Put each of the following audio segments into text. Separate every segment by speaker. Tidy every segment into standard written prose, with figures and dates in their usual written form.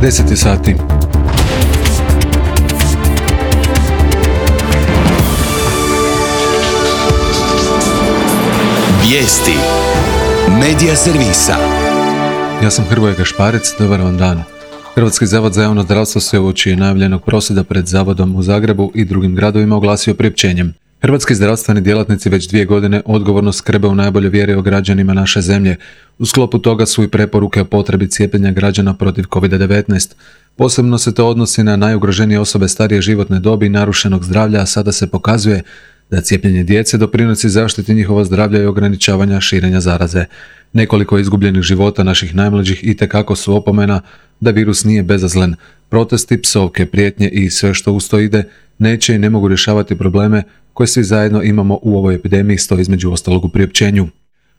Speaker 1: 10 sati.
Speaker 2: Vijesti Medija servisa.
Speaker 1: Ja sam Hrvoje Gašparec, dobar vam dan. Hrvatski zavod za javno zdravstvo se uoči najavljenog prosvjeda pred zavodom u Zagrebu i drugim gradovima oglasio priopćenjem. Hrvatski zdravstveni djelatnici već 2 godine odgovorno skrbe u najboljoj vjeri o građanima naše zemlje. U sklopu toga su i preporuke o potrebi cijepljenja građana protiv COVID-19. Posebno se to odnosi na najugroženije osobe starije životne dobi i narušenog zdravlja, a sada se pokazuje da cijepljenje djece doprinosi zaštiti njihova zdravlja i ograničavanja širenja zaraze. Nekoliko izgubljenih života naših najmlađih itekako su opomena da virus nije bezazlen. Protesti, psovke, prijetnje i sve što uz to ide neće i ne mogu rješavati probleme koje svi zajedno imamo u ovoj epidemiji, stoji između ostalog u priopćenju.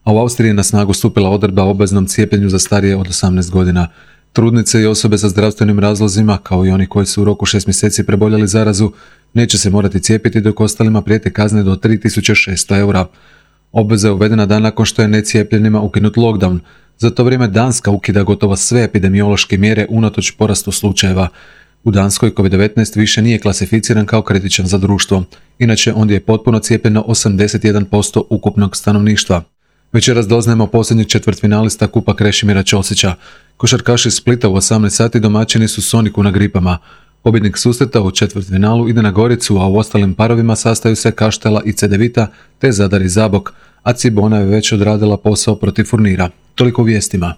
Speaker 1: A u Austriji je na snagu stupila odredba o obveznom cijepljenju za starije od 18 godina. Trudnice i osobe sa zdravstvenim razlozima, kao i oni koji su u roku 6 mjeseci preboljeli zarazu, neće se morati cijepiti, dok ostalima prijete kazne do 3600 eura. Obveza je uvedena dan nakon što je necijepljenima ukinut lockdown. Za to vrijeme Danska ukida gotovo sve epidemiološke mjere unatoč porastu slučajeva. U Danskoj COVID-19 više nije klasificiran kao kritičan za društvo. Inače, ondje je potpuno cijepljeno 81% ukupnog stanovništva. Večeras doznajemo posljednjeg četvrtfinalista Kupa Krešimira Ćosića. Košarkaši iz Splita u 18 sati domaćini su Soniku na Gripama. Pobjednik susreta u četvrtfinalu ide na Goricu, a u ostalim parovima sastaju se Kaštela i Cedevita te Zadar i Zabok, a Cibona je već odradila posao protiv Furnira. Toliko u vijestima.